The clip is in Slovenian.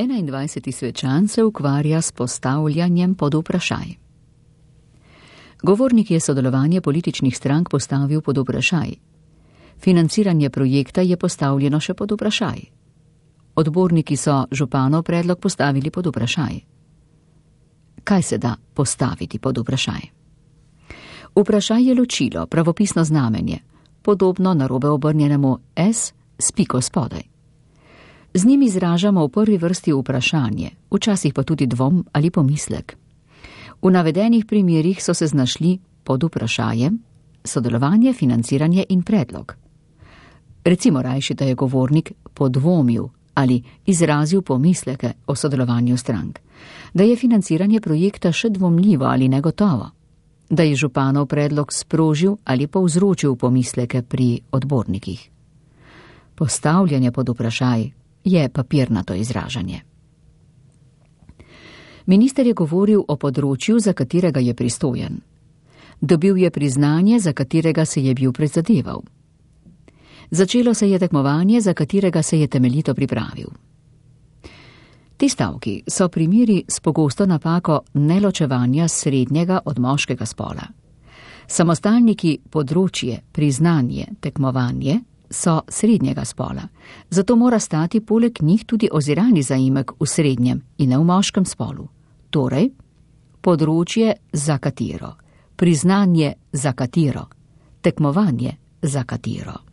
21. svečan se ukvarja s postavljanjem pod vprašaj. Govornik je sodelovanje političnih strank postavil pod vprašaj. Financiranje projekta je postavljeno še pod vprašaj. Odborniki so županov predlog postavili pod vprašaj. Kaj se da postaviti pod vprašaj? Vprašaj je ločilo, pravopisno znamenje, podobno narobe obrnjenemu S s piko spodaj. Z njim izražamo v prvi vrsti vprašanje, včasih pa tudi dvom ali pomislek. V navedenih primerih so se znašli pod vprašajem sodelovanje, financiranje in predlog. Recimo rajši, da je govornik podvomil ali izrazil pomisleke o sodelovanju strank, da je financiranje projekta še dvomljivo ali negotovo, da je županov predlog sprožil ali povzročil pomisleke pri odbornikih. Postavljanje pod vprašaj je papirnato izražanje. Minister je govoril o področju, za katerega je pristojen. Dobil je priznanje, za katerega se je bil prizadeval. Začelo se je tekmovanje, za katerega se je temeljito pripravil. Ti stavki so primeri s pogosto napako neločevanja srednjega od moškega spola. Samostalniki področje, priznanje, tekmovanje so srednjega spola, zato mora stati poleg njih tudi oziralni zaimek v srednjem in ne v moškem spolu. Torej, področje za katero, priznanje za katero, tekmovanje za katero.